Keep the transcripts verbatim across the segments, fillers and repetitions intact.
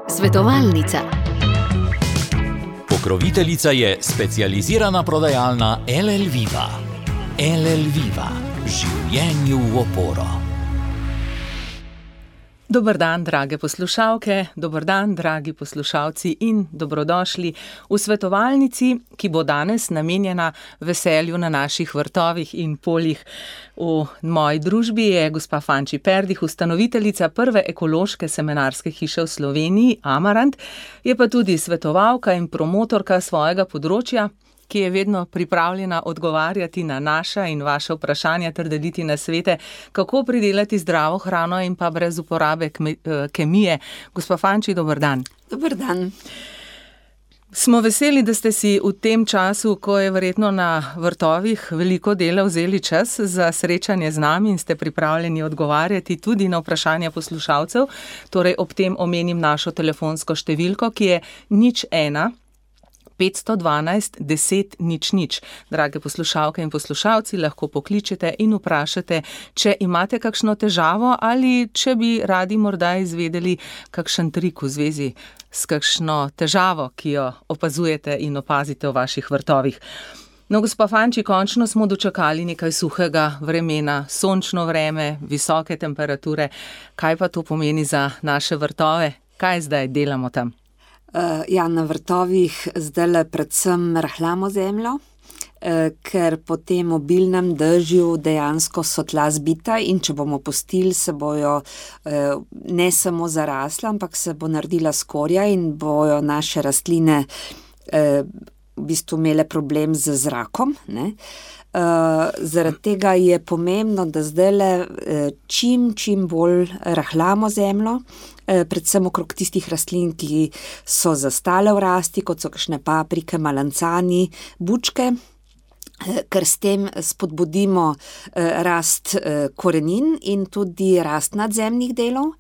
Svetovalnica. Pokroviteljica je specializirana prodajalna L L Viva. L L Viva. Življenju v oporo. Dober dan, drage poslušalke, dober dan, dragi poslušalci in dobrodošli v svetovalnici, ki bo danes namenjena veselju na naših vrtovih in poljih. V moji družbi je gospa Fanči Perdih, ustanoviteljica prve ekološke semenarske hiše v Sloveniji, Amarant, je pa tudi svetovalka in promotorka svojega področja, ki je vedno pripravljena odgovarjati na naša in vaša vprašanja ter deliti nasvete, kako pridelati zdravo hrano in pa brez uporabe kemije. Gospa Fanči, dober dan. Dober dan. Smo veseli, da ste si v tem času, ko je verjetno na vrtovih veliko dela, vzeli čas za srečanje z nami in ste pripravljeni odgovarjati tudi na vprašanja poslušalcev. Torej ob tem omenim našo telefonsko številko, ki je nič ena petsto dvanajst deset nič nič. Drage poslušalke in poslušalci, lahko pokličete in vprašate, če imate kakšno težavo ali če bi radi morda izvedeli kakšen trik v zvezi s kakšno težavo, ki jo opazujete in opazite v vaših vrtovih. No, gospa Fanči, končno smo dočakali nekaj suhega vremena, sončno vreme, visoke temperature. Kaj pa to pomeni za naše vrtove? Kaj zdaj delamo tam? Uh, ja, na vrtovih zdaj predvsem rahljamo zemljo, uh, ker po tem obilnem dežju dejansko so tla zbita in če bomo pustili, se bojo uh, ne samo zarasla, ampak se bo naredila skorja in bojo naše rastline uh, v bistvu imele problem z zrakom, ne? Uh, zaradi tega je pomembno, da zdajle uh, čim, čim bolj rahljamo zemljo, uh, predvsem okrog tistih rastlin, ki so zastale v rasti, kot so kakšne paprike, malancani, bučke, uh, ker s tem spodbudimo uh, rast uh, korenin in tudi rast nadzemnih delov.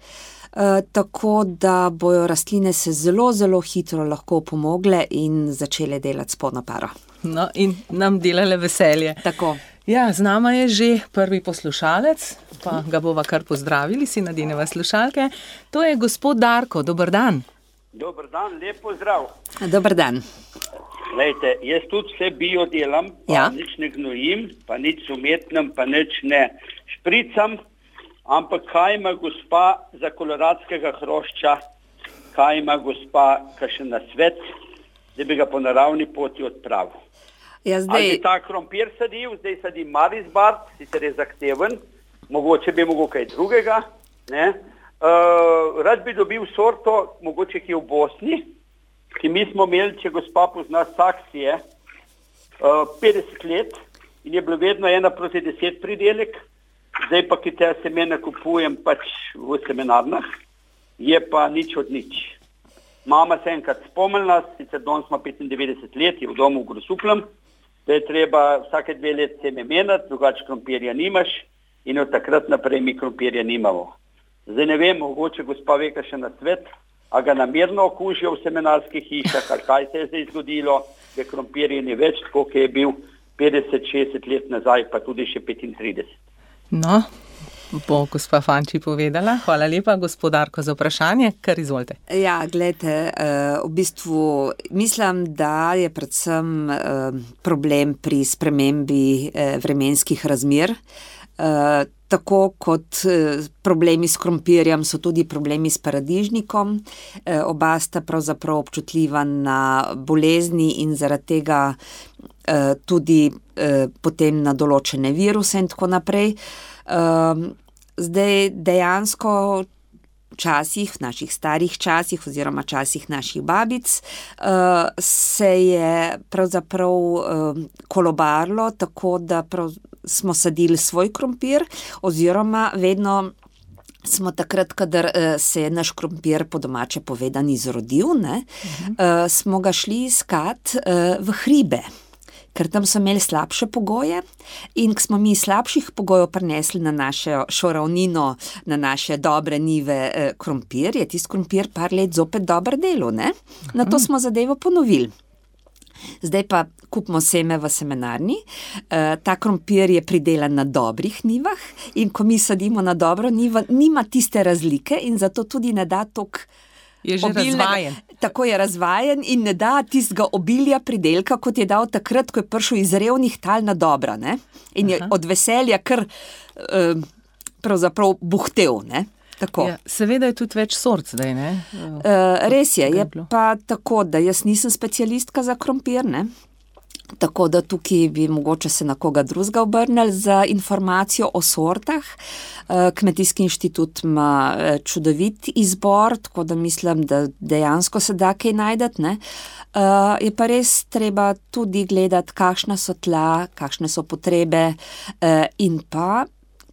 Uh, tako da bojo rastline se zelo, zelo hitro lahko pomogle in začele delati s polno paro. No, in nam delale veselje. Tako. Ja, z nama je že prvi poslušalec, pa ga bova kar pozdravili, si nadeneva slušalke. To je gospod Darko, dober dan. Dober dan, lep pozdrav. Dober dan. Lejte, jaz tudi vse bio delam, pa ja. Nič ne gnojim, pa nič umetnem, pa nič ne špricam, ampak kaj ima gospa za koloradskega hrošča, kaj ima gospa kakšen nasvet, da bi ga po naravni poti odpravil. Ja, zdaj... Ali bi ta krompir sadil, zdaj sadi Marisbard, sicer je zahteven, mogoče bi mogel kaj drugega, ne? Uh, rad bi dobil sorto, mogoče ki je v Bosni, ki mi smo imeli, če gospa pozna saksije, uh, petdeset let in je bilo vedno ena proti deset pridelek, zdaj pa, ki te semena kupujem pač v semenarnah, je pa nič od nič. Mama se enkrat spomnila, sicer danes ima petindevetdeset let, je v domu v Grosupljem, da je treba vsake dve let seme menjati, drugače krompirja nimaš in od takrat naprej mi krompirja nimamo. Zdaj ne vem, mogoče gospa ve kakšen nasvet, a ga namerno okužijo v semenarskih hišah, ali kaj se je zdaj zgodilo, da krompirje ni več tako, ki je bil petdeset šestdeset let nazaj, pa tudi še petintrideset. No, bo gospa Fanči povedala. Hvala lepa, gospod Darko, za vprašanje, kar izvolite. Ja, gledajte, v bistvu mislim, da je predvsem problem pri spremembi vremenskih razmer. Tako kot problemi s krompirjem so tudi problemi s paradižnikom. Oba sta pravzaprav občutljiva na bolezni in zaradi tega tudi potem na določene viruse in tako naprej. Zdaj dejansko včasih, v naših starih časih oziroma časih naših babic se je pravzaprav kolobarilo tako, da prav smo sadili svoj krompir oziroma vedno smo takrat, kadar se je naš krompir po domače povedan izrodil, ne, uh-huh. smo ga šli iskat v hribe. Ker tam so imeli slabše pogoje in ko smo mi slabših pogojev prinesli na našo ravnino, na naše dobre nive eh, krompir, je tisti krompir par let zopet dobro delal, ne? Na to smo zadevo ponovili. Zdaj pa kupimo seme v semenarni. E, ta krompir je pridelan na dobrih njivah in ko mi sadimo na dobro njivo, nima tiste razlike in zato tudi ne da toliko Je že obilnega, razvajen. Tako je razvajen in ne da tistega obilja pridelka, kot je dal takrat, ko je prišel iz revnih tal na dobra, ne? In je Aha. od veselja kar eh, pravzaprav buhtel, ne? Tako. Ja, seveda je tudi več sort zdaj, ne? Uh, res je, Ga je je bilo. pa tako, da jaz nisem specialistka za krompir, ne? Tako da tukaj bi mogoče se na koga drugega obrnili za informacijo o sortah. Uh, Kmetijski inštitut ima uh, čudovit izbor, tako da mislim, da dejansko se da kaj najdeti, ne? Uh, je pa res treba tudi gledati, kakšna so tla, kakšne so potrebe uh, in pa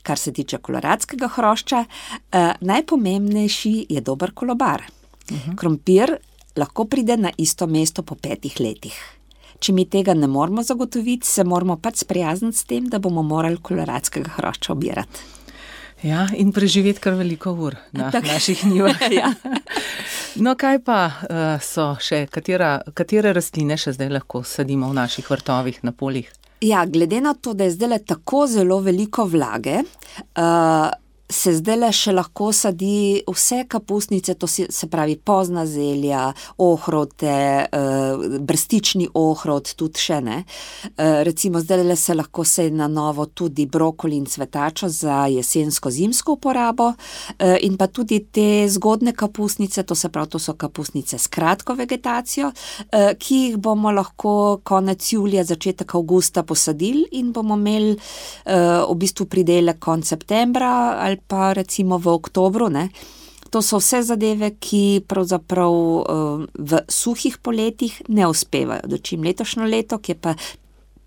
kar se tiče koloradskega hrošča, eh, najpomembnejši je dober kolobar. Uh-huh. Krompir lahko pride na isto mesto po petih letih. Če mi tega ne moramo zagotoviti, se moramo pač sprijazniti s tem, da bomo morali koloradskega hrošča obirati. Ja, in preživeti kar veliko ur na Tak. naših njivah. Ja. No, kaj pa uh, so še, katera, katere rastline še zdaj lahko sadimo v naših vrtovih na poljih? Ja, glede na to, da je zdaj tako zelo veliko vlage, uh, se zdaj še lahko sadi vse kapusnice, to si, se pravi pozna zelja, ohrote, uh, brstični ohrot, tudi še ne. Uh, recimo zdaj se lahko seje na novo tudi brokoli in cvetačo za jesensko-zimsko uporabo uh, in pa tudi te zgodne kapusnice, to se pravi, to so kapusnice s kratko vegetacijo, uh, ki jih bomo lahko konec julija, začetek avgusta posadili in bomo imeli uh, v bistvu pridelek konec septembra ali pa recimo v oktobru, ne. To so vse zadeve, ki pravzaprav uh, v suhih poletjih ne uspevajo. Dočim letošnjo leto, ki je pa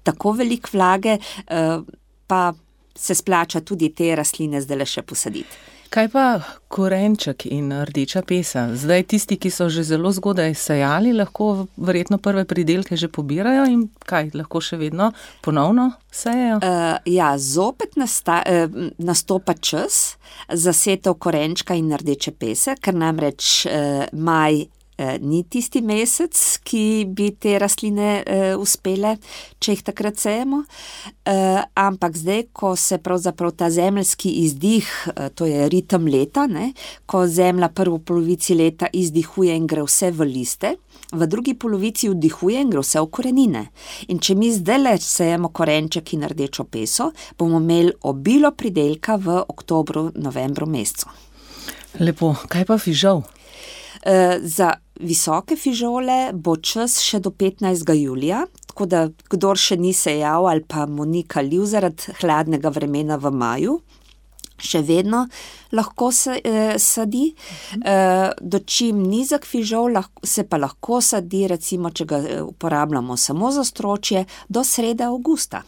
tako veliko vlage, uh, pa se splača tudi te rastline zdaj še posaditi. Kaj pa korenček in rdeča pesa? Zdaj tisti, ki so že zelo zgodaj sejali, lahko verjetno prve pridelke že pobirajo in kaj, lahko še vedno ponovno sejejo? Uh, ja, zopet nasta, uh, nastopa čas za setev korenčka in rdeče pese, ker namreč uh, maj ni tisti mesec, ki bi te rastline uh, uspele, če jih takrat sejemo. Uh, ampak zdaj, ko se pravzaprav ta zemeljski izdih, uh, to je ritem leta, ne, ko zemlja prvo polovici leta izdihuje in gre vse v liste, v drugi polovici vdihuje in gre vse v korenine. In če mi zdaj le sejemo korenček in rdečo peso, bomo imeli obilo pridelka v oktobru, novembru mesecu. Lepo, kaj pa fižol? Uh, za visoke fižole bo čas še do petnajstega julija, tako da kdor še ni sejal ali pa mu ni kalil zaradi hladnega vremena v maju, še vedno lahko se eh, sadi. Eh, dočim nizek fižol lahko, se pa lahko sadi, recimo, če ga uporabljamo samo za stročje, do srede avgusta.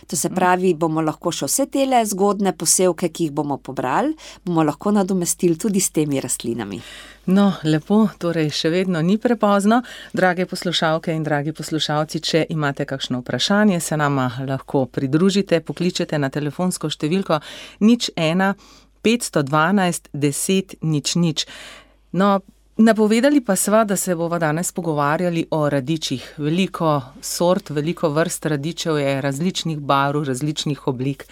To se pravi, bomo lahko še vse tele zgodne posevke, ki jih bomo pobrali, bomo lahko nadomestili tudi s temi rastlinami. No, lepo, torej še vedno ni prepozno. Drage poslušalke in dragi poslušalci, če imate kakšno vprašanje, se nama lahko pridružite, pokličete na telefonsko številko nič ena petsto dvanajst deset nič nič. No, napovedali pa sva, da se bova danes pogovarjali o radičih. Veliko sort, veliko vrst radičev je različnih barv, različnih oblik.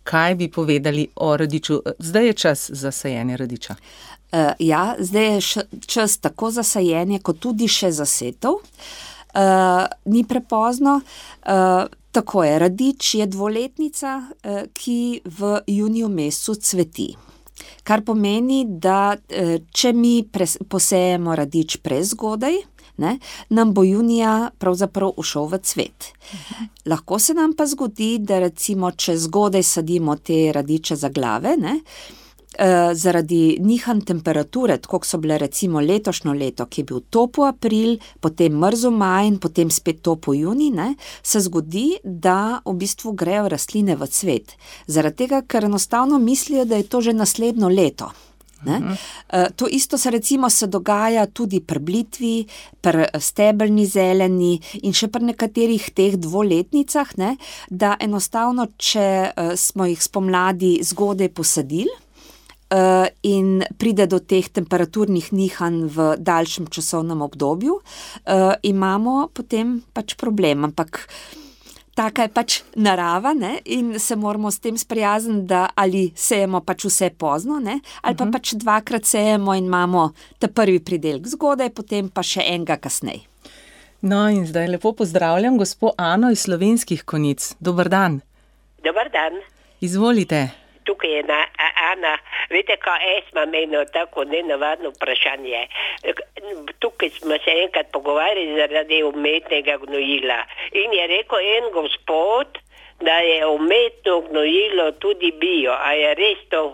Kaj bi povedali o radiču? Zdaj je čas za sajenje radiča. Uh, ja, zdaj je š, čas tako za sajenje, kot tudi še za setev. Uh, ni prepozno. Uh, tako je, radič je dvoletnica, uh, ki v juniju mesecu cveti. Kar pomeni, da uh, če mi pres, posejemo radič prezgodaj, ne, nam bo junija pravzaprav ušel v cvet. Uh-huh. Lahko se nam pa zgodi, da recimo, če zgodaj sadimo te radiče za glave, ne, Uh, zaradi nihanj temperature, tako so bile recimo letošnjo leto, ki je bil topo april, potem mrzo maj in potem spet topo juni, ne, se zgodi, da v bistvu grejo rastline v cvet. Zaradi tega, ker enostavno mislijo, da je to že naslednjo leto. Ne? Uh, to isto se recimo se dogaja tudi pri blitvi, pri stebelni zeleni in še pri nekaterih teh dvoletnicah, ne, da enostavno, če uh, smo jih spomladi zgodaj posadili, uh, in pride do teh temperaturnih nihanj v daljšem časovnem obdobju, uh, imamo potem pač problem. Ampak taka je pač narava, ne? In se moramo s tem sprijazniti, da ali sejemo pač vse pozno, ne? Ali pa uh-huh. pač dvakrat sejemo in imamo ta prvi pridelek zgodaj, potem pa še enega kasneje. No in zdaj lepo pozdravljam gospo Ano iz Slovenskih Konjic. Dober dan. Dobar dan. Izvolite. Tukaj je na, Ana, veste, kaj jaz imam eno tako nenavadno vprašanje. Tukaj smo se enkrat pogovarjali zaradi umetnega gnojila. In je rekel en gospod, da je umetno gnojilo tudi bio. A je res to?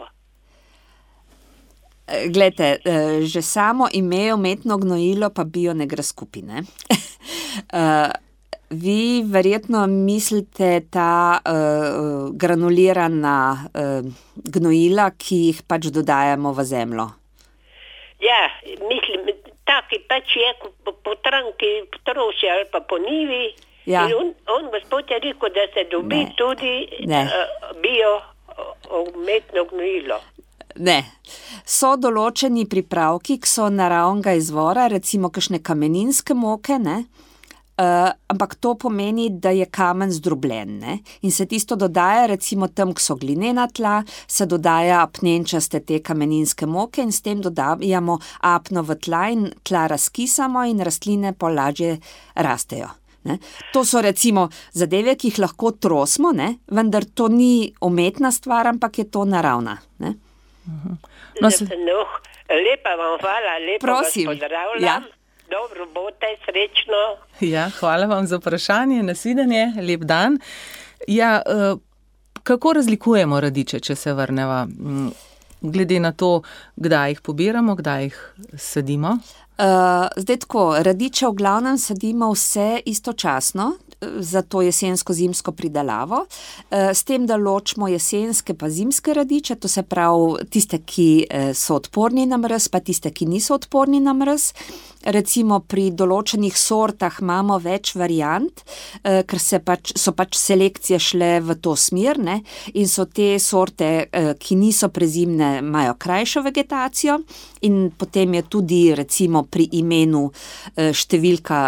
Glejte, že samo ime umetno gnojilo pa bio ne gre skupaj, ne? Vi verjetno mislite ta uh, granulirana uh, gnojila, ki jih pač dodajamo v zemljo. Ja, mislim, taki pač je po, po tranki, po troši ali pa po nivi. Ja. In on, on gospod je rekel, da se dobi ne. tudi uh, bio umetno gnojilo. Ne. So določeni pripravki, ki so naravnega izvora, recimo kakšne kameninske moke, ne? Uh, ampak to pomeni, da je kamen zdrobljen, ne? In se tisto dodaja, recimo tam, ko so glinena tla, se dodaja apnenčaste te kameninske moke in s tem dodajamo apno v tla in tla razkisamo in rastline pa lažje rastejo. Ne? To so recimo zadeve, ki jih lahko trosimo, ne? Vendar to ni umetna stvar, ampak je to naravna. Ne? Uh-huh. No, se... no, lepa vam hvala, lepa Prosim. vas pozdravljam. Ja. Dobro, bote, srečno. Ja, hvala vam za vprašanje, nasvidenje, lep dan. Ja, kako razlikujemo radiče, če se vrneva, glede na to, kdaj jih pobiramo, kdaj jih sadimo? Uh, zdaj tako, radiče v glavnem sadimo vse istočasno, za to jesensko-zimsko pridelavo, s tem, da ločimo jesenske pa zimske radiče, to se pravi tiste, ki so odporni na mraz, pa tiste, ki niso odporni na mraz. Recimo pri določenih sortah imamo več variant, ker se pač, so pač selekcije šle v to smer, ne? In so te sorte, ki niso prezimne, imajo krajšo vegetacijo in potem je tudi recimo pri imenu številka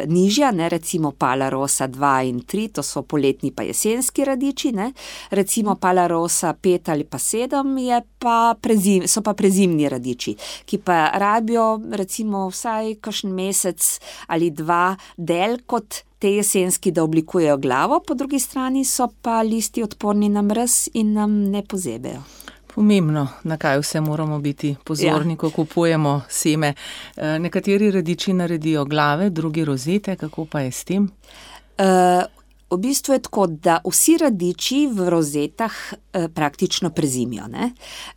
nižja, ne? Recimo Palarosa dva in tri, to so poletni pa jesenski radiči, ne? Recimo Palarosa pet ali pa sedem je pa prezim, so pa prezimni radiči, ki pa rabijo recimo vsaj kakšen mesec ali dva del kot te jesenski, da oblikujejo glavo, po drugi strani so pa listi odporni na mraz in nam ne pozebejo. Pomembno, na kaj vse moramo biti pozorni, ja. Ko kupujemo seme. Nekateri radiči naredijo glave, drugi rozete, kako pa je s tem? Uh, V bistvu je tako, da vsi radiči v rozetah eh, praktično prezimijo, ne?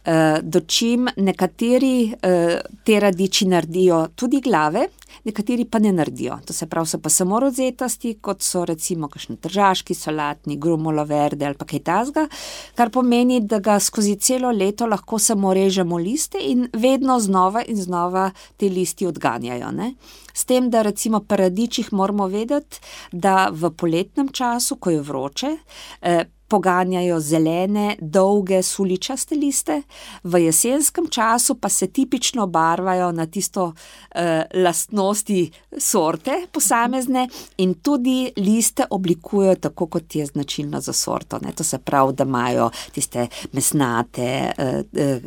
Eh, dočim nekateri eh, te radiči naredijo tudi glave, nekateri pa ne naredijo. To se pravi, so pa samo rozetasti, kot so recimo kakšni tržaški, solatni, grumolo verde ali pa kaj tasga, kar pomeni, da ga skozi celo leto lahko samo režemo liste in vedno znova in znova te listi odganjajo, ne? S tem, da recimo pri radičih moramo vedeti, da v poletnem času, ko je vroče, eh, poganjajo zelene, dolge, suličaste liste, v jesenskem času pa se tipično barvajo na tisto eh, lastnosti sorte posamezne in tudi liste oblikujejo tako, kot je značilno za sorto, ne? To se pravi, da imajo tiste mesnate, eh, eh,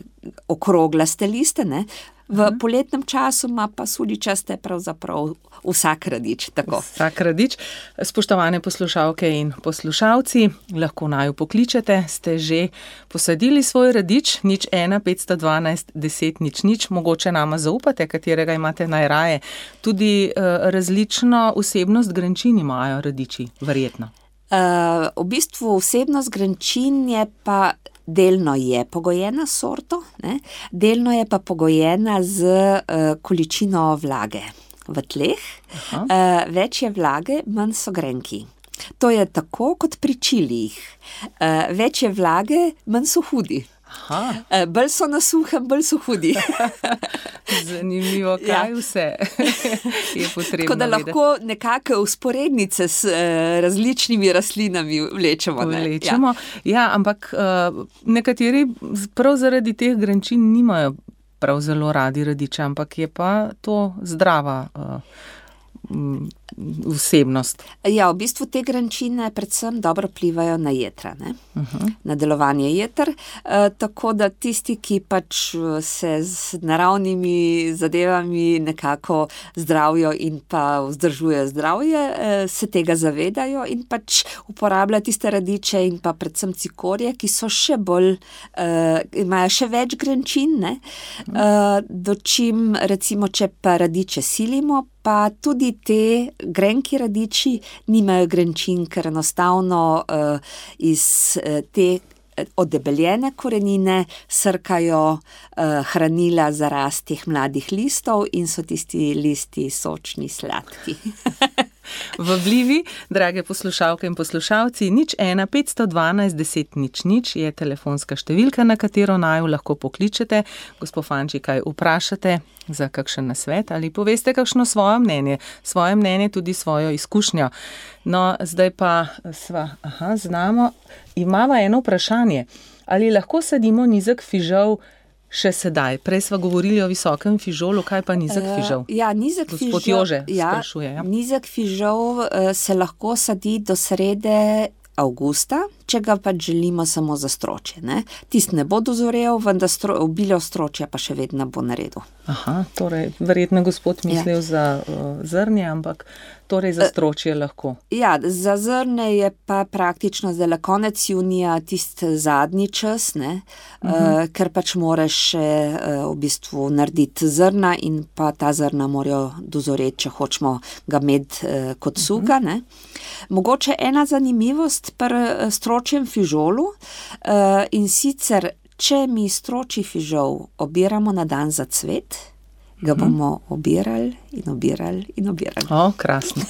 okroglaste liste, ne? V poletnem času ima pa suličaste pravzaprav vsak radič. Tako. Vsak radič. Spoštovane poslušalke in poslušalci, lahko naju pokličete, ste že posadili svoj radič, nič ena, petsto dvanajst, deset, nič, nič, mogoče nama zaupate, katerega imate najraje. Tudi uh, različno vsebnost grenčin imajo radiči, verjetno. Uh, v bistvu vsebnost grenčin je pa delno je pogojena s sorto, ne? Delno je pa pogojena z uh, količino vlage v tleh. Uh, več je vlage, manj so grenki. To je tako kot pri čilijih. Uh, več je vlage, manj so hudi. Aha. Bolj so na suhem, bolj so hudi. Zanimivo, kaj ja. vse je potrebno. Tako da lahko nekako usporednice s uh, različnimi rastlinami vlečemo. Ne? Vlečemo, ja, ja ampak uh, nekateri prav zaradi teh grenčin nimajo prav zelo radi radiče, ampak je pa to zdrava uh, vsebnost. Ja, v bistvu te grenčine predvsem dobro vplivajo na jetra, ne? Uh-huh. Na delovanje jeter, e, tako da tisti, ki pač se z naravnimi zadevami nekako zdravijo in pa vzdržujejo zdravje, e, se tega zavedajo in pač uporabljajo tiste radiče in pa predvsem cikorje, ki so še bolj, e, imajo še več grenčin, ne? E, dočim recimo, če pa radiče silimo, pa tudi te grenki radiči nimajo grenčin, ker enostavno uh, iz uh, te odebeljene korenine srkajo uh, hranila za rast teh mladih listov in so tisti listi sočni, sladki. Vabljivi, drage poslušalke in poslušalci, nič ena petsto dvanajst deset nič nič je telefonska številka, na katero naju lahko pokličete, gospod Fanči, kaj vprašate za kakšen nasvet ali poveste kakšno svoje mnenje, svoje mnenje tudi svojo izkušnjo. No, zdaj pa sva, aha, znamo, imava eno vprašanje, ali lahko sadimo nizek fižol še sedaj? Prej sva govorili o visokem fižolu, kaj pa nizek fižol? Uh, ja, nizek Gospod fižol, Jože ja, sprašuje. Ja. Nizek fižol uh, se lahko sadi do srede avgusta, če ga pač želimo samo za stročje. Ne? Tist ne bo dozorel, vendar stro, obilo stročja pa še vedno bo naredil. Aha, torej, verjetno gospod mislil ja. za uh, zrnje, ampak torej za stročje lahko. Ja, za zrne je pa praktično zdaj konec junija tist zadnji čas, ne? Uh-huh. uh, ker pač moraš še uh, v bistvu narediti zrna in pa ta zrna morajo dozoreti, če hočemo ga imeti uh, kot suga. Uh-huh. Ne? Mogoče ena zanimivost pri stročjem fižolu uh, in sicer, če mi stročji fižol obiramo na dan za cvet, ga bomo obirali in obirali in obirali. O, krasno.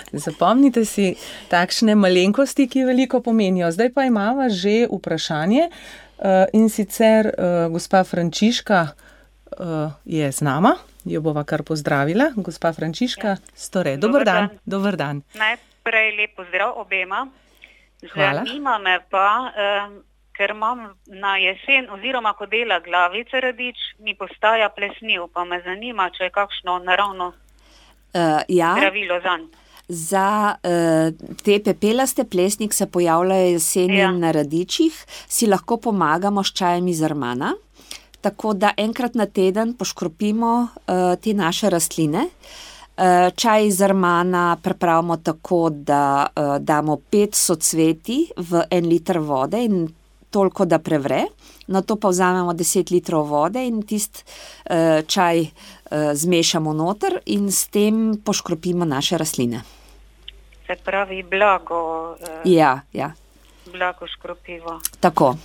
Zapomnite si takšne malenkosti, ki veliko pomenijo. Zdaj pa imava že vprašanje uh, in sicer uh, gospa Frančiška uh, je z nama, jo bova kar pozdravila. Gospa Frančiška, ja. Store, dober, dober dan. dan. Dober dan. Najprej lep pozdrav obema. Hvala. Zanima me pa, eh, ker imam na jesen oziroma ko dela glavice radič, mi postaja plesniv, pa me zanima, če je kakšno naravno uh, ja. zdravilo zanj. Za uh, te pepelaste plesnik se pojavljajo jeseni ja. na radičih, si lahko pomagamo s čajem iz armana, tako da enkrat na teden poškropimo uh, te naše rastline. Čaj iz armana pripravimo tako, da uh, damo pet socvetij v en liter vode in toliko, da prevre. Na to pa vzamemo deset litrov vode in tist uh, čaj uh, zmešamo noter in s tem poškropimo naše rastline. Se pravi blago. Uh, ja, ja. Blago škropivo. Tako.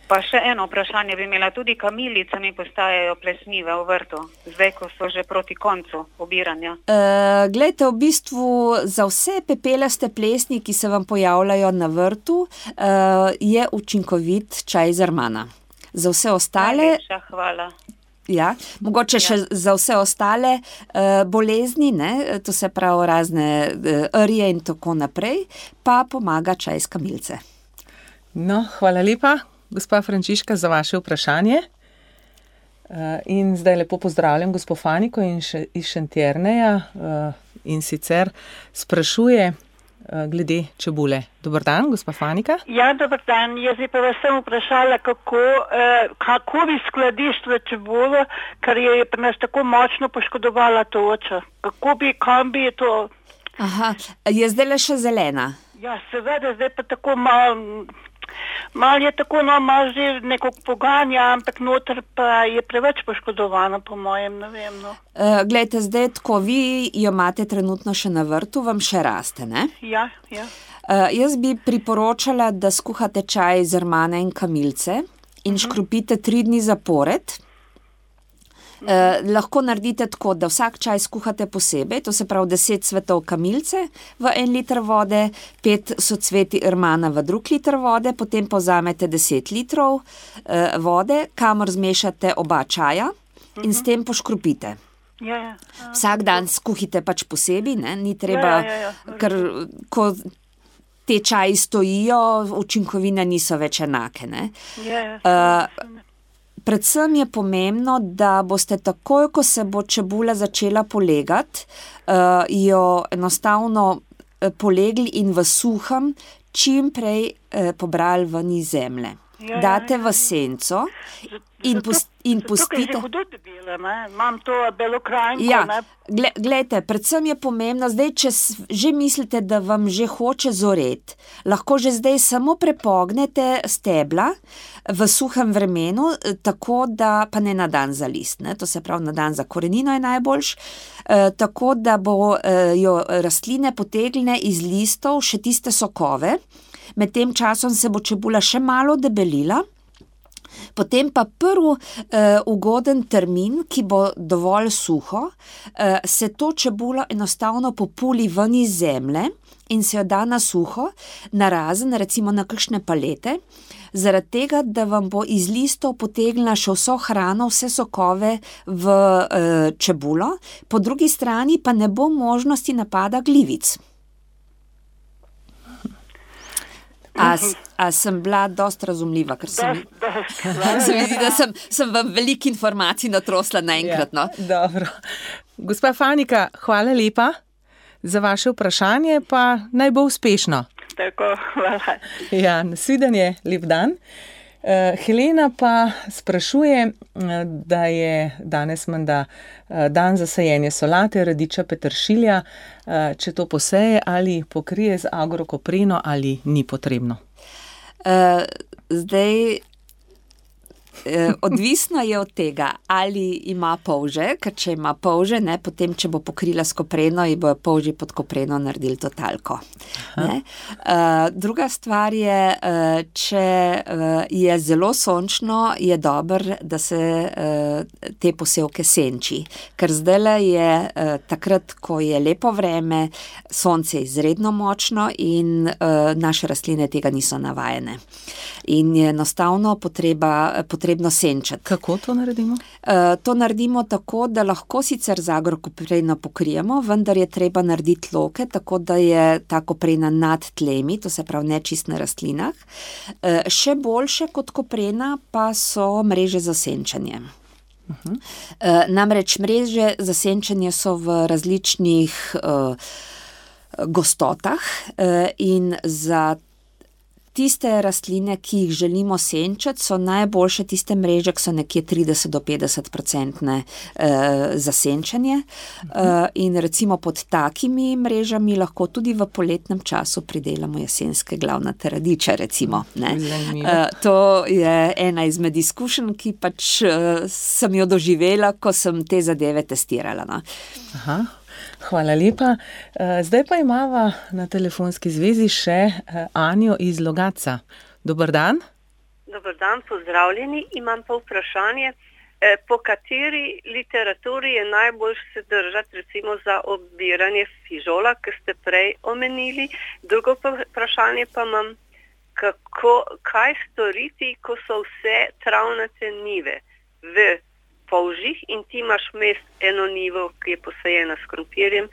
Pa še eno vprašanje bi imela, tudi kamilice mi postajajo plesnive v vrtu, zdaj, ko so že proti koncu obiranja. Uh, glejte, v bistvu za vse pepelaste plesni, ki se vam pojavljajo na vrtu, uh, je učinkovit čaj iz armana. Za vse ostale... Najlepša hvala. Ja, mogoče ja. še za vse ostale uh, bolezni, ne, to se pravi razne uh, rje in tako naprej, pa pomaga čaj iz kamilice. No, hvala lepa. Gospa Frančiška, za vaše vprašanje. In zdaj lepo pozdravljam gospo Faniko iz Šentjerneja in sicer sprašuje glede čebule. Dobar dan, gospa Fanika. Ja, dobar dan. Jaz bi pa vas sem vprašala, kako, kako bi skladiščila čebulo, ker je pri nas tako močno poškodovala toča. Kako bi, kam bi to... Aha, je zdaj le še zelena? Ja, seveda, zdaj pa tako malo... Mal je tako, no, malo že neko poganja, ampak noter pa je preveč poškodovano, po mojem, ne vem, no. Uh, glejte, zdaj tako, vi jo imate trenutno še na vrtu, vam še raste, ne? Ja, ja. Uh, jaz bi priporočala, da skuhate čaj iz armana in kamilice in uh-huh. škropite tri dni zapored. Eh, lahko naredite tako, da vsak čaj skuhate posebej, to se pravi deset cvetov kamilice v en liter vode, pet socveti rmana v drug liter vode, potem pa vzamete deset litrov eh, vode, kamor zmešate oba čaja in s tem poškropite. Ja, ja. Vsak dan skuhite pač posebej, ne, ni treba, Ja, ja, ja, ja. ker ko te čaji stojijo, učinkovine niso več enake, ne. Ja, ja. Uh, Predvsem je pomembno, da boste takoj, ko se bo čebula začela polegati, uh, jo enostavno uh, polegli in v suhem čim prej uh, pobrali ven iz zemlje. Ja, Date ja, v senco in, pust, in Zato, ker pustite. že hudo debela, ne? Imam to belokrajnko, Ja, ne? gle, glejte, predvsem je pomembno, zdaj, če s- že mislite, da vam že hoče zoret, lahko že zdaj samo prepognete stebla v suhem vremenu, eh, tako da, pa ne na dan za list, ne? To se pravi na dan za korenino je najboljš, eh, tako da bo eh, jo rastline potegnile iz listov še tiste sokove, med tem časom se bo čebula še malo debelila. Potem pa prvi uh, ugoden termin, ki bo dovolj suho, uh, se to čebulo enostavno populi ven iz zemlje in se jo da na suho, narazen recimo na kakšne palete, zaradi tega, da vam bo iz listov potegnila še vso hrano, vse sokove v uh, čebulo, po drugi strani pa ne bo možnosti napada glivic. A, s- a sem bila dost razumljiva, ker sem, Dost, dost. se mi zdi, da sem, sem vam veliko informacij natrosla naenkrat. No? Ja, dobro. Gospa Fanika, hvala lepa za vaše vprašanje, pa naj bo uspešno. Tako, hvala. Ja, nasvidenje, lep dan. Uh, Helena pa sprašuje, uh, da je danes menda uh, dan za sajenje solate, radiča, peteršilja, uh, če to poseje ali pokrije z agrokopreno ali ni potrebno. Uh, zdaj, uh, odvisno je od tega, ali ima polže, ker če ima polže, ne, potem, če bo pokrila s kopreno, ji bojo polži pod kopreno naredili totalko. Ne? Uh, druga stvar je, uh, če uh, je zelo sončno, je dobro, da se uh, te posevke senči, ker zdajle je uh, takrat, ko je lepo vreme, sonce je izredno močno in uh, naše rastline tega niso navajene. In je enostavno potreba, potrebno senčati. Kako to naredimo? Uh, to naredimo tako, da lahko sicer z agrokopreno pokrijemo, vendar je treba narediti loke, tako da je ta koprena nad tlemi, to se pravi nečist na rastlinah. Uh, še boljše kot koprena pa so mreže za senčanje. Uh-huh. Uh, namreč mreže za senčanje so v različnih uh, gostotah uh, in za tiste rastline, ki jih želimo senčati, so najboljše tiste mreže, ki so nekje trideset do petdeset procentne eh, za senčanje. Eh, in recimo pod takimi mrežami lahko tudi v poletnem času pridelamo jesenske glavnate radiče, recimo. Ne. Eh, to je ena izmed izkušenj, ki pač eh, sem jo doživela, ko sem te zadeve testirala. No. Aha. Hvala lepa. Zdaj pa imava na telefonski zvezi še Anjo iz Logatca. Dober dan. Dober dan, pozdravljeni. Imam pa vprašanje, po kateri literaturi je najbolj se držati recimo za obiranje fižola, ki ste prej omenili. Drugo vprašanje pa imam, kako, kaj storiti, ko so vse travnate njive v polžih in ti imaš mest eno njivo, ki je posajena s krompirjem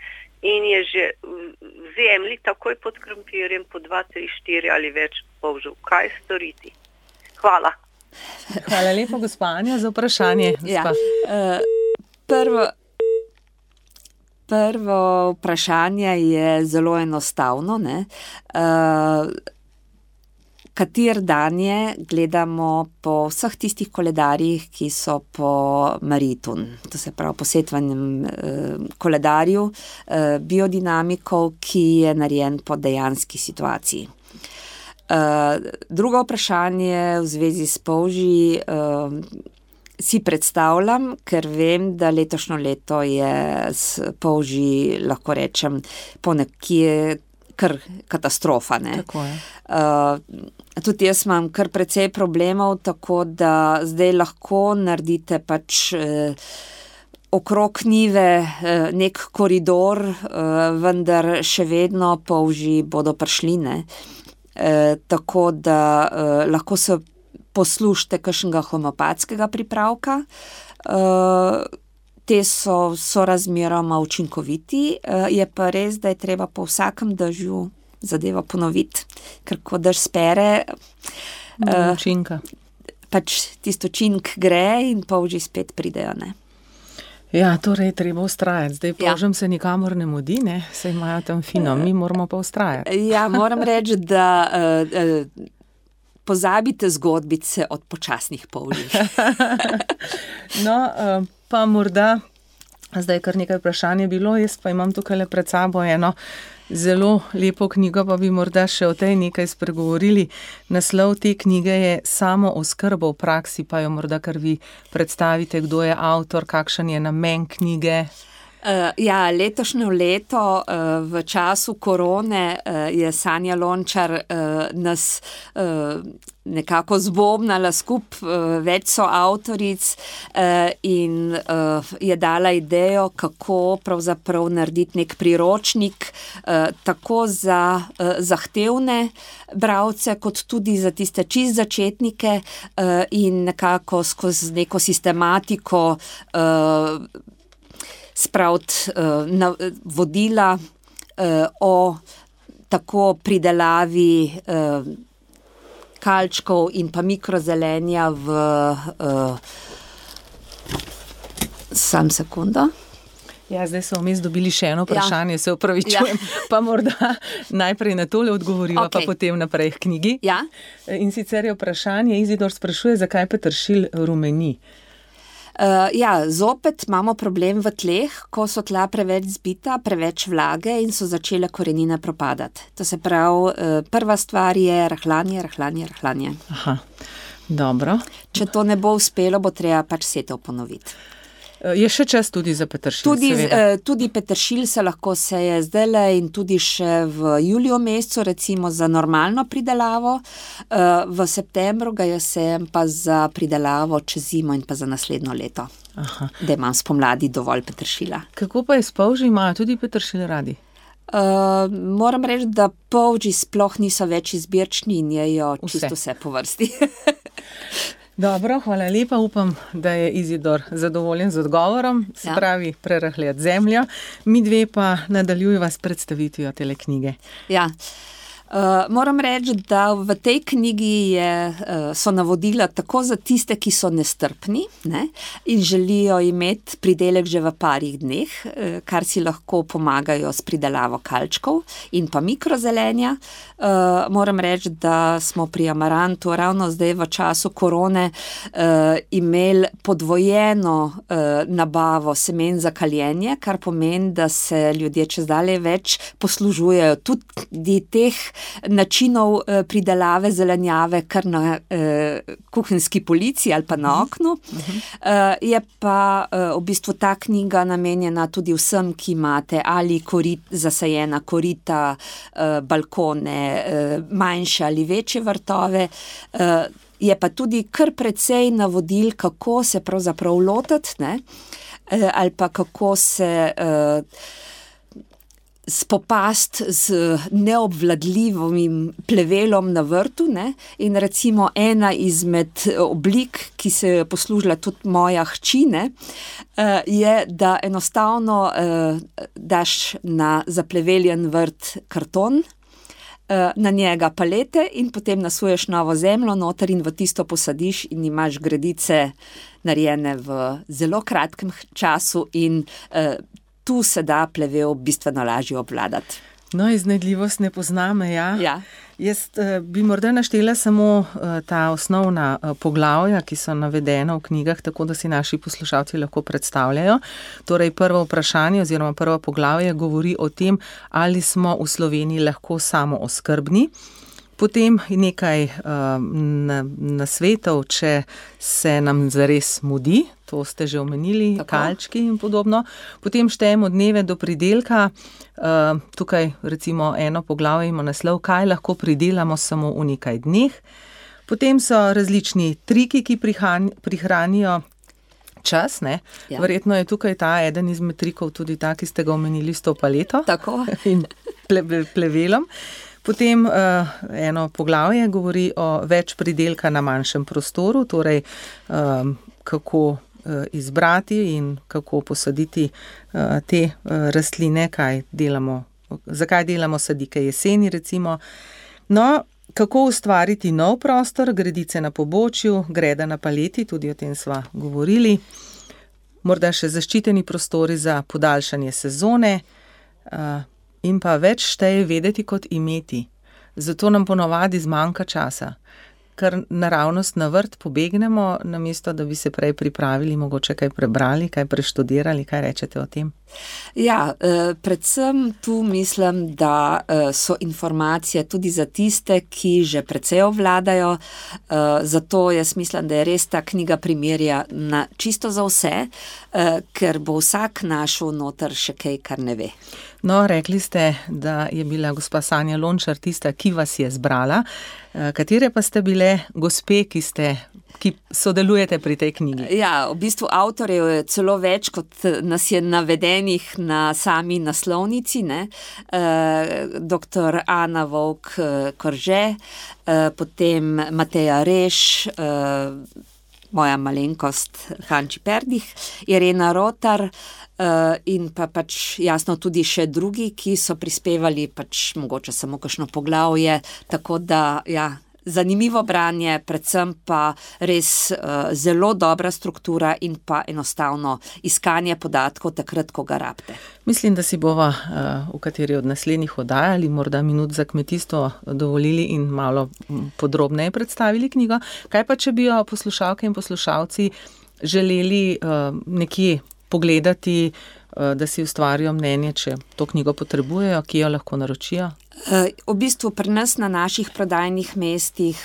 in je že v zemlji takoj pod krompirjem po dva, tri, štiri ali več polžev. Kaj storiti? Hvala. Hvala lepa, gospa Anja, za vprašanje. Ja. Uh, prvo, prvo vprašanje je zelo enostavno. Ne? Uh, Kater dan je, gledamo po vseh tistih koledarjih, ki so po Maritun, to se pravi po setvanem eh, koledarju eh, biodinamikov, ki je narejen po dejanski situaciji. Eh, drugo vprašanje v zvezi s polži eh, si predstavljam, ker vem, da letošnjo leto je s polži, lahko rečem, po nekje kar katastrofa. Ne. Tako je. Uh, tudi jaz imam kar precej problemov, tako da zdaj lahko naredite pač uh, okrog njive uh, nek koridor, uh, vendar še vedno polži bodo prišli, ne. Uh, tako da uh, lahko se poslušate kakšnega homeopatskega pripravka. Uh, te so, so razmeroma učinkoviti, uh, je pa res, da je treba po vsakem dežju zadeva ponoviti, ker ko dež spere, uh, učinka. Pač tisto učink gre in polži spet pridejo, ne. Ja, torej treba ustrajati. Zdaj polžem ja. se nikamor ne mudi, ne, se imajo tam fino, mi moramo pa ustrajati. Ja, moram reči, da uh, uh, pozabite zgodbice od počasnih polžih. No, uh, pa morda, zdaj kar nekaj vprašanje bilo, jaz pa imam tukaj le pred sabo eno zelo lepo knjigo, pa bi morda še o tej nekaj spregovorili. Naslov te knjige je Samooskrba v praksi, pa jo morda kar vi predstavite, kdo je avtor, kakšen je namen knjige. Uh, ja, letošnjo leto uh, v času korone uh, je Sanja Lončar uh, nas uh, nekako zbobnala skup, uh, več so avtoric uh, in uh, je dala idejo, kako pravzaprav narediti nek priročnik uh, tako za uh, zahtevne bralce, kot tudi za tiste čist začetnike uh, in nekako skozi neko sistematiko uh, spraviti uh, na, vodila uh, o tako pridelavi uh, kalčkov in pa mikrozelenja v uh, sam sekundo. Ja, zdaj so vmes dobili še eno vprašanje, ja. Se opravičujem, ja. Pa morda najprej na tole odgovoriva, okay. Pa potem naprej k knjigi. Ja. In sicer je vprašanje, Izidor sprašuje, zakaj peteršilj rumeni. Uh, ja, zopet imamo problem v tleh, ko so tla preveč zbita, preveč vlage in so začele korenine propadati. To se pravi, uh, prva stvar je rahljanje, rahljanje, rahljanje. Aha, dobro. Če to ne bo uspelo, bo treba pač setev ponoviti. Je še čas tudi za peteršilj, tudi, seveda. Tudi peteršilj se lahko seje zdajle in tudi še v juliju mesecu, recimo za normalno pridelavo. V septembru ga jaz sejem pa za pridelavo čez zimo in pa za naslednjo leto. Aha. Da imam spomladi dovolj peteršilja. Kako pa je s polži, imajo tudi peteršilj radi? Uh, moram reči, da polži sploh niso več izbirčni in jejo čisto vse po vrsti. Dobro, hvala lepa, upam, da je Izidor zadovoljen z odgovorom, se ja. Pravi prerahljati zemljo. Mi dve pa nadaljujeva s predstavitvijo tele knjige. Ja. Uh, moram reči, da v tej knjigi je, uh, so navodila tako za tiste, ki so nestrpni, ne, in želijo imeti pridelek že v parih dneh, uh, kar si lahko pomagajo s pridelavo kalčkov in pa mikrozelenja. Uh, moram reči, da smo pri Amarantu ravno zdaj v času korone uh, imeli podvojeno uh, nabavo semen za kaljenje, kar pomeni, da se ljudje čezdalje več poslužujejo tudi teh načinov eh, pridelave zelenjave kar na eh, kuhinjski polici ali pa na oknu. Uh-huh. Eh, je pa eh, v bistvu ta knjiga namenjena tudi vsem, ki imate ali korit, zasajena korita, eh, balkone, eh, manjše ali večje vrtove. Eh, je pa tudi kar precej navodil, kako se pravzaprav lotiti, ne? Eh, ali pa kako se eh, spopast z neobvladljivim plevelom na vrtu, ne? In recimo ena izmed oblik, ki se je poslužila tudi moja hči, ne, je, da enostavno daš na zapleveljen vrt karton, na njega palete in potem nasuješ novo zemljo noter in v tisto posadiš in imaš gredice narejene v zelo kratkem času in tu se da plevel bistveno lažje obvladati. No, iznajdljivost ne pozna meja. Ja. Jaz uh, bi morda naštela samo uh, ta osnovna uh, poglavja, ki so navedena v knjigah, tako da si naši poslušalci lahko predstavljajo. Torej, prvo vprašanje oziroma prvo poglavje govori o tem, ali smo v Sloveniji lahko samooskrbni. Potem nekaj nasvetov, če se nam zares mudi, to ste že omenili, Tako. kalčki in podobno. Potem štejemo dneve do pridelka. Uh, tukaj recimo eno poglavje ima naslov, kaj lahko pridelamo samo v nekaj dneh. Potem so različni triki, ki prihan, prihranijo čas. Ne? Ja. Verjetno je tukaj ta eden izmed trikov tudi ta, ki ste ga omenili s to paleto Tako. in ple, plevelom. Potem uh, eno poglavje govori o več pridelka na manjšem prostoru, torej um, kako uh, izbrati in kako posaditi uh, te uh, rastline, kaj delamo, zakaj delamo sadike jeseni recimo. No, kako ustvariti nov prostor, gredice na pobočju, greda na paleti, tudi o tem sva govorili. Morda še zaščiteni prostori za podaljšanje sezone, uh, in pa več šteje vedeti kot imeti. Zato nam ponovadi zmanjka časa, ker naravnost na vrt pobegnemo, namesto da bi se prej pripravili, mogoče kaj prebrali, kaj preštudirali, kaj rečete o tem? Ja, predvsem tu mislim, da so informacije tudi za tiste, ki že precej ovladajo, zato jaz mislim, da je res ta knjiga primerja na čisto za vse, ker bo vsak našel noter še kaj, kar ne ve. No, rekli ste, da je bila gospa Sanja Lončar tista, ki vas je zbrala. Katere pa ste bile gospe, ki ste ki sodelujete pri tej knjigi? Ja, v bistvu avtorjev je celo več, kot nas je navedenih na sami naslovnici, ne. E, doktor Ana Vovk-Korže, e, potem Mateja Reš, e, moja malenkost Hanči Perdih, Irena Rotar, Uh, in pa pač jasno tudi še drugi, ki so prispevali pač mogoče samo kakšno poglavje, tako da ja, zanimivo branje, predvsem pa res uh, zelo dobra struktura in pa enostavno iskanje podatkov takrat, ko ga rabite. Mislim, da si bova uh, v kateri od naslednjih oddajali, morda minut za kmetijstvo dovolili in malo podrobneje predstavili knjigo. Kaj pa, če bi jo poslušalke in poslušalci želeli uh, nekje pogledati, da si ustvarijo mnenje, če to knjigo potrebujejo, ki jo lahko naročijo? V bistvu pri nas na naših prodajnih mestih,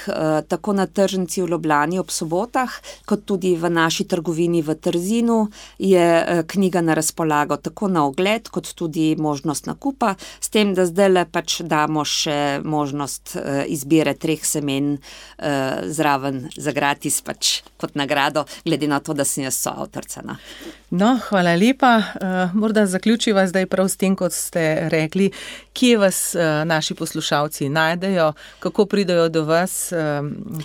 tako na tržnici v Ljubljani ob sobotah, kot tudi v naši trgovini v Trzinu, je knjiga na razpolago tako na ogled, kot tudi možnost nakupa, s tem, da zdajle pač damo še možnost izbire treh semen zraven za gratis pač kot nagrado, glede na to, da sem jaz soavtorica. No, hvala lepa. Morda zaključiva zdaj prav s tem, kot ste rekli, kje vas naši poslušalci najdejo, kako pridejo do vas,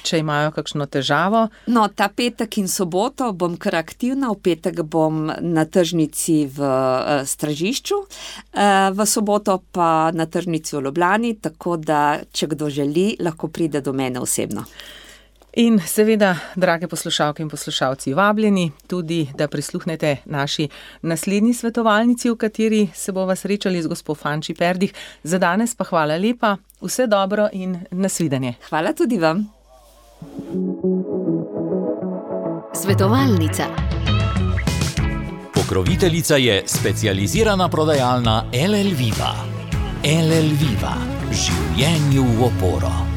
če imajo kakšno težavo? No, ta petek in soboto bom kar aktivna, v petek bom na tržnici v Stražišču, v soboto pa na tržnici v Ljubljani, tako da, če kdo želi, lahko pride do mene osebno. In seveda, drage poslušalke in poslušalci, vabljeni tudi, da prisluhnete naši naslednji svetovalnici, v kateri se bova srečali z gospo Hanči Perdih. Za danes pa hvala lepa, vse dobro in nasvidenje. Hvala tudi vam. Svetovalnica. Pokroviteljica je specializirana prodajalna L L Viva. L L Viva. Življenju v oporo.